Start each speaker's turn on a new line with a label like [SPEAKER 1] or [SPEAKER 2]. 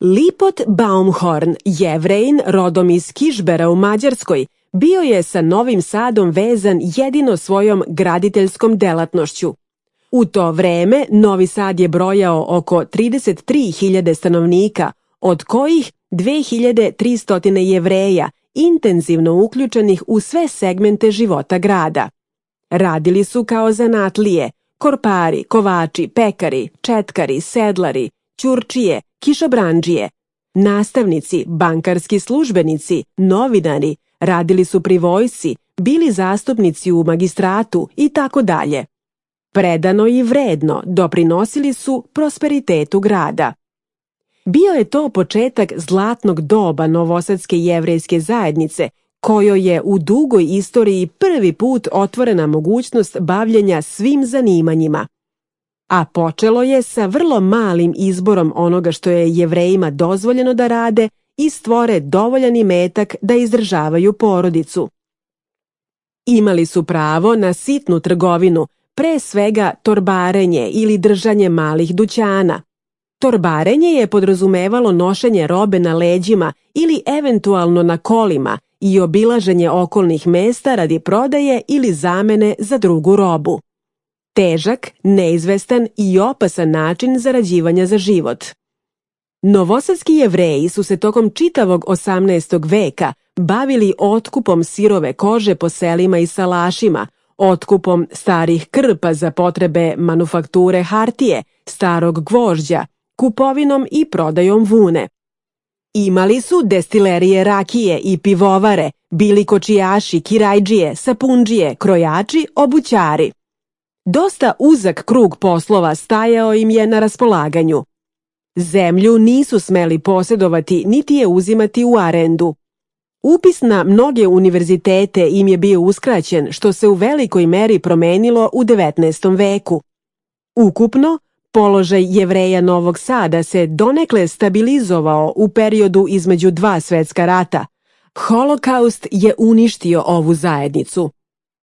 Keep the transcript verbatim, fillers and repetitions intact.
[SPEAKER 1] Lipot Baumhorn, Jevrejin rodom iz Kišbera u Mađarskoj, bio je sa Novim Sadom vezan jedino svojom graditeljskom delatnošću. U to vreme Novi Sad je brojao oko trideset tri hiljade stanovnika, od kojih dve hiljade tristo Jevreja, intenzivno uključenih u sve segmente života grada. Radili su kao zanatlije, korpari, kovači, pekari, četkari, sedlari, ćurčije, kišobrandžije, nastavnici, bankarski službenici, novinari, radili su pri vojsci, bili zastupnici u magistratu i tako dalje. Predano i vredno doprinosili su prosperitetu grada. Bio je to početak zlatnog doba novosadske jevrejske zajednice, kojoj je u dugoj istoriji prvi put otvorena mogućnost bavljenja svim zanimanjima. A počelo je sa vrlo malim izborom onoga što je Jevrejima dozvoljeno da rade i stvore dovoljan imetak da izdržavaju porodicu. Imali su pravo na sitnu trgovinu, pre svega torbarenje ili držanje malih dućana. Torbarenje je podrazumevalo nošenje robe na leđima ili eventualno na kolima i obilaženje okolnih mesta radi prodaje ili zamene za drugu robu. Težak, neizvestan i opasan način zarađivanja za život. Novosadski Jevreji su se tokom čitavog osamnaestog veka bavili otkupom sirove kože po selima i salašima, otkupom starih krpa za potrebe manufakture hartije, starog gvožđa, kupovinom i prodajom vune. Imali su destilerije rakije i pivovare, bili kočijaši, kirajđije, sapundžije, krojači, obućari. Dosta uzak krug poslova stajao im je na raspolaganju. Zemlju nisu smeli posjedovati niti je uzimati u arendu. Upis na mnoge univerzitete im je bio uskraćen, što se u velikoj meri promenilo u devetnaestom veku. Ukupno, položaj Jevreja Novog Sada se donekle stabilizovao u periodu između dva svetska rata. Holokaust je uništio ovu zajednicu.